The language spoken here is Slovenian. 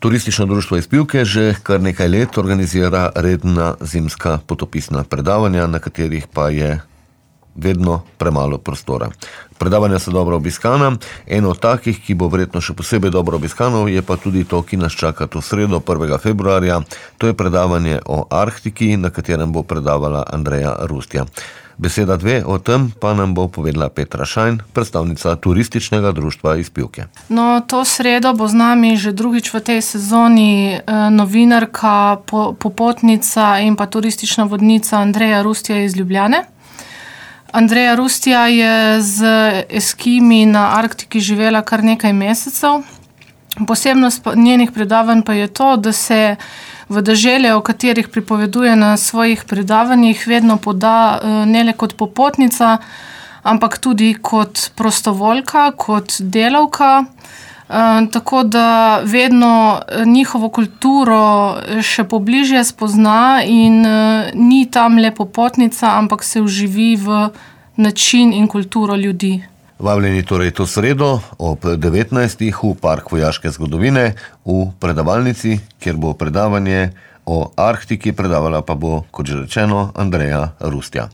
Turistično društvo iz Pivke že kar nekaj let organizira redna zimska potopisna predavanja, na katerih pa je vedno premalo prostora. Predavanja so dobro obiskana, eno od takih, ki bo verjetno še posebej dobro obiskano, je pa tudi to, ki nas čaka to sredo 1. februarja. To je predavanje o Arktiki, na katerem bo predavala Andreja Rustja. Beseda dve o tem pa nam bo povedala Petra Šajn, predstavnica Turističnega društva iz Pivke. No, to sredo bo z nami že drugič v tej sezoni novinarka, popotnica in pa turistična vodnica Andreja Rustja iz Ljubljane. Andreja Rustja je z eskimi na Arktiki živela kar nekaj mesecev. Posebnost njenih predavanj pa je to, da se v dežele, o katerih pripoveduje na svojih predavanjih, vedno poda ne le kot popotnica, ampak tudi kot prostovoljka, kot delavka, tako da vedno njihovo kulturo še pobližje spozna in ni tam le popotnica, ampak se vživi v način in kulturo ljudi. Vabljeni torej to sredo ob 19. v Park vojaške zgodovine v predavalnici, kjer bo predavanje o Arktiki, predavala pa bo, kot že rečeno, Andreja Rustja.